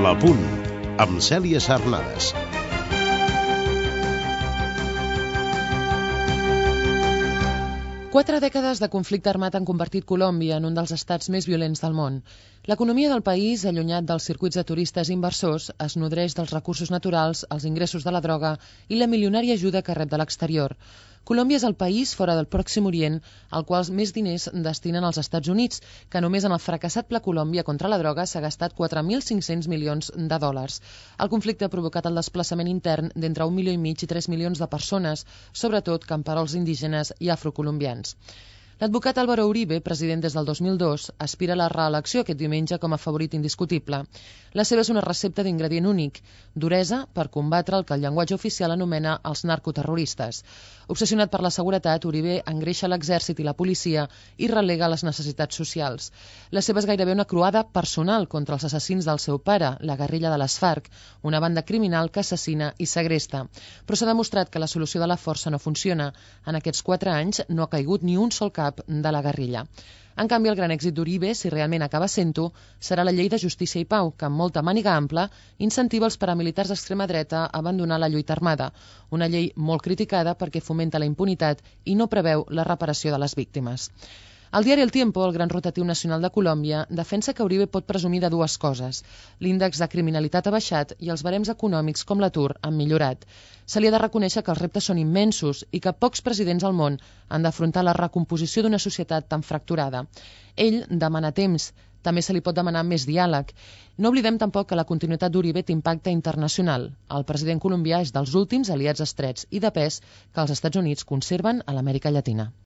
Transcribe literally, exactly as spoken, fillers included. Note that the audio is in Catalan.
La Punt, amb Cèlia Sarnades. Quatre dècades de conflicte armat han convertit Colòmbia en un dels estats més violents del món. L'economia del país, allunyat dels circuits de turistes i inversors, es nodreix dels recursos naturals, els ingressos de la droga i la milionària ajuda que rep de l'exterior. Colòmbia és el país, fora del Pròxim Orient, al qual més diners destinen als Estats Units, que només en el fracassat Pla Colòmbia contra la droga s'ha gastat quatre mil cinc-cents milions de dòlars. El conflicte ha provocat el desplaçament intern d'entre un milió i mig i tres milions de persones, sobretot camperols indígenes i afrocolombians. L'advocat Álvaro Uribe, president des del dos mil dos, aspira a la reelecció aquest diumenge com a favorit indiscutible. La seva és una recepta d'ingredient únic, duresa per combatre el que el llenguatge oficial anomena els narcoterroristes. Obsessionat per la seguretat, Uribe engreixa l'exèrcit i la policia i relega les necessitats socials. La seva és gairebé una croada personal contra els assassins del seu pare, la guerrilla de les FARC, una banda criminal que assassina i segresta. Però s'ha demostrat que la solució de la força no funciona. En aquests quatre anys no ha caigut ni un sol cap de la guerrilla. En canvi, el gran èxit d'Uribe, si realment acaba sent-ho, serà la llei de justícia i pau, que amb molta màniga ampla incentiva els paramilitars d'extrema dreta a abandonar la lluita armada, una llei molt criticada perquè fomenta la impunitat i no preveu la reparació de les víctimes. El diari El Tiempo, el gran rotatiu nacional de Colòmbia, defensa que Uribe pot presumir de dues coses. L'índex de criminalitat ha baixat i els barems econòmics com l'atur han millorat. Se li ha de reconèixer que els reptes són immensos i que pocs presidents al món han d'afrontar la recomposició d'una societat tan fracturada. Ell demana temps, també se li pot demanar més diàleg. No oblidem tampoc que la continuïtat d'Uribe té impacte internacional. El president colombià és dels últims aliats estrets i de pes que els Estats Units conserven a l'Amèrica Llatina.